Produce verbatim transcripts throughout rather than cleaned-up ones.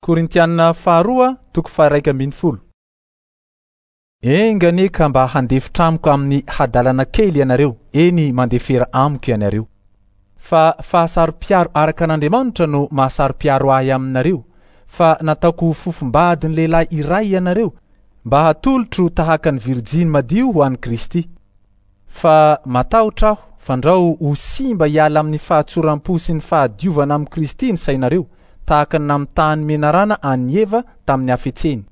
Korintiana faharoa toko faha-iraika ambin'ny folo. Enga anie ka mba handefitra amiko amin'ny hadalana kely ianareo, eny mandefera amiko ianareo. Fa fahasaro-piaro araka an'Andriamanitra no mahasaro-piaro ahy aminareo, fa nataoko ho fofombadin'ny lehilahy iray ianareo mba hatolotro tahaka ny virjiny madio ho an'i Kristy. Fa matahotra aho fandrao ho simba hiala amin'ny fahatsoram-po sy ny fahadiovana amin'i Kristy ny sainareo, tahaka ny namitahan'ny menarana an'i Eva tamin'ny hafetseny.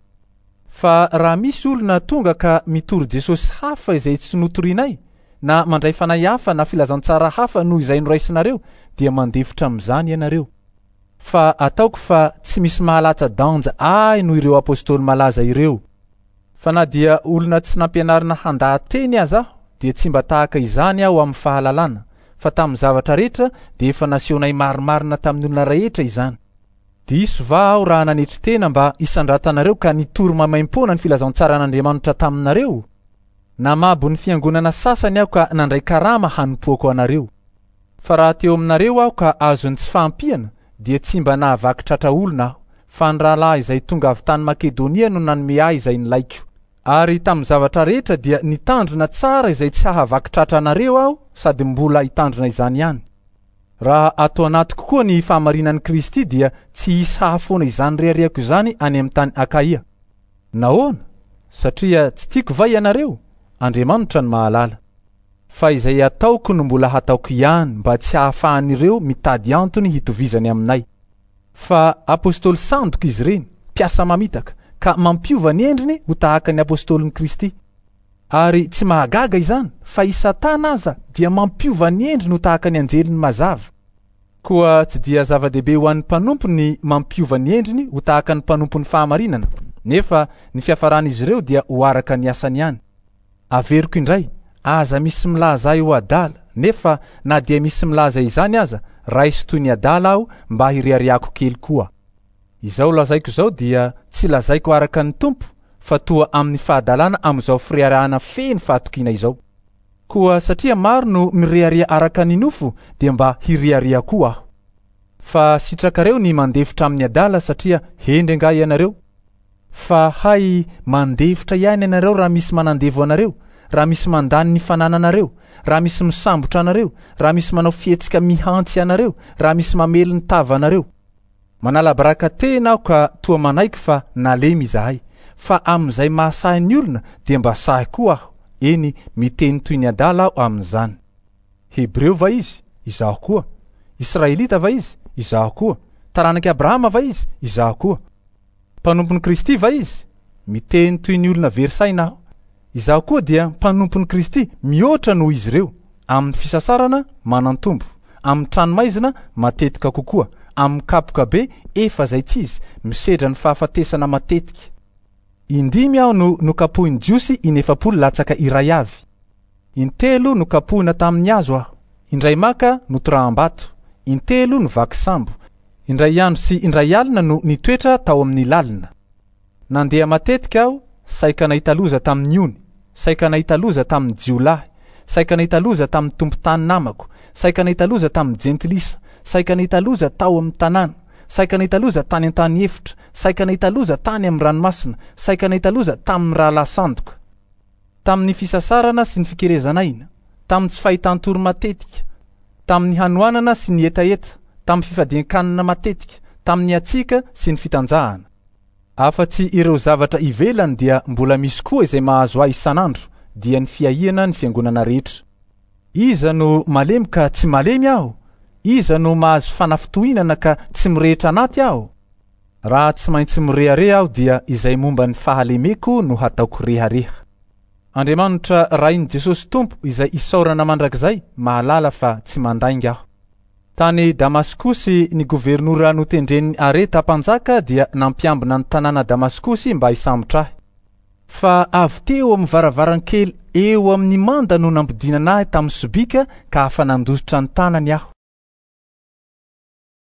Fa raha misy olona tonga ka mitory Jesosy hafa izay tsy notorinay, na mandray fanahy hafa na filazantsara hafa noho izay noraisinareo, dia mandefitra amin'izany ianareo. Fa ataoko fa tsy misy mahalatsa-danja ahy noho ireo apôstôly malaza ireo. Fa na dia olona tsy nampianarina handaha-teny aza aho, dia tsy mba tahaka izany aho amin'ny fahalalana, fa tamin'ny zavatra rehetra dia efa nasehonay marimarina tamin'ny olona rehetra izany. Diso va aho raha nanetry tena mba hisandratanareo ka nitory maimaimpoana ny filazantsaran'Andriamanitra taminareo? Namabo ny fiangonana sasany aho ka nandray karama hanompoako anareo. Fa raha teo aminareo aho ka azon'ny tsy fahampiana, dia tsy mba nahavaky tratra olona aho, fa ny rahalahy izay tonga avy tany Makedonia no nanome ahy izay nilaiko. Ary tamin'ny zavatra rehetra dia nitandrina tsara izay tsy hahavaky tratra anareo aho, sady mbola hitandrina izany ihany. Raha ato anatiko koa ny fahamarinan'i Kristy dia tsy hisy hahafoana izany reharehako izany any amin'ny tany Akaia. Nahoana? Satria tsy tiako va ianareo? Andriamanitra no mahalala. Fa izay ataoko no mbola hataoko ihany mba tsy hahafahan'ireo mitady antony hitovizany aminay. Fa apôstôly sandoka izy ireny, mpiasa mamitaka, ka mampiova ny endriny ho tahaka ny apôstôlin'i Kristy. Ary tsy mahagaga izany, fa i Satana aza dia mampiova ny endriny ho tahaka ny anjeliny mazava. Koa tsy dia zava-dehibe ho an'ny mpanompo ny mampiova ny endriny ho tahaka ny mpanompon'ny fahamarinana, nefa ny fiafaran'izy ireo dia ho araka ny asany ihany. Averiko indray, aza misy milaza ahy ho adala, nefa na dia misy milaza izany aza, raiso toy ny adala aho mba hireharehako kely koa. Izao lazaiko izao dia tsy lazaiko araka ny Tompo, fa toa amin'ny fahadalana amin'izao fireharehana feno fahatokiana izao. Koa satria maro no mirehareha araka ny nofo, dia mba hirehareha koa aho. Fa sitrakareo ny mandefitra amin'ny adala satria hendry angaha ianareo? Fa hay mandefitra ihany ianareo raha misy manandevo anareo, raha misy mandany ny fanananareo, raha misy misambotra anareo, raha misy manao fihetsika mihantsy anareo, raha misy mamely ny tavanareo. Manala baraka tena aho ka toa manaiky fa nalemy izahay, fa amin'izay mahasahy ny olona dia mba sahy koa aho, eny miteny toy ny adala aho amin'izany. Hebreo va izy? Izaho koa. Israelita va izy? Izaho koa. Taranak'i Abrahama va izy? Izaho koa. Mpanompon'i Kristy va izy? Miteny toy ny olona very saina aho. Izaho koa dia mpanompon'i Kristy mihoatra noho izy ireo, amin'ny fisasarana manan-tombo, amin'ny tranomaizina matetika kokoa, amin'ny kapoka be efa izay tsy izy, misedra ny fahafatesana matetika. Indimy aho no nokapohin'ny Jiosy inefapolo latsaka iray avy. Intelo nokapohina tamin'ny hazo aho, indray maka notoraham-bato, intelo novaky sambo, indray andro sy indray alina no nitoetra tao amin'ny lalina. Nandeha matetika aho, saika nahita loza tamin'ny ony, saika nahita loza tamin'ny jiolahy, saika nahita loza tamin'ny tompon-tany namako, saika nahita loza tamin'ny jentilisa, saika nahita loza tao amin'ny tanàna, saika nahita loza tany an-tany efitra, saika nahita loza tany amin'ny ranomasina, saika nahita loza tamin'ny rahalahy sandoka. Tamin'ny fisasarana sy ny fikerezan'aina, tamin'ny tsy fahitan-tory matetika, tamin'ny hanoanana sy ny hetaheta, tamin'ny fifadian-kanina matetika, tamin'ny hatsiaka sy ny fitanjahana. Afa-tsy ireo zavatra ivelany dia mbola misy koa izay mahazo ahy isan'andro, dia ny fiahiana ny fiangonana rehetra. Iza no malemy ka tsy malemy aho? Iza no mahazo fanafintohinana ka tsy mirehitra anaty aho? Raha tsy maintsy mirehareha aho dia izay momba ny fahalemeko no hataoko rehareha. Andriamanitra Rain'i Jesosy Tompo izay isaorana mandrakizay mahalala fa tsy mandainga aho. Tany Damaskosy ny governora notendren'ny Areta mpanjaka dia nampiambina ny tanàna Damaskosy mba hisambotra ahy. Fa avy teo amin'ny varavarankely eo amin'ny manda no nampidinana ahy tamin'ny sobika ka afa-nandositra ny tanany aho.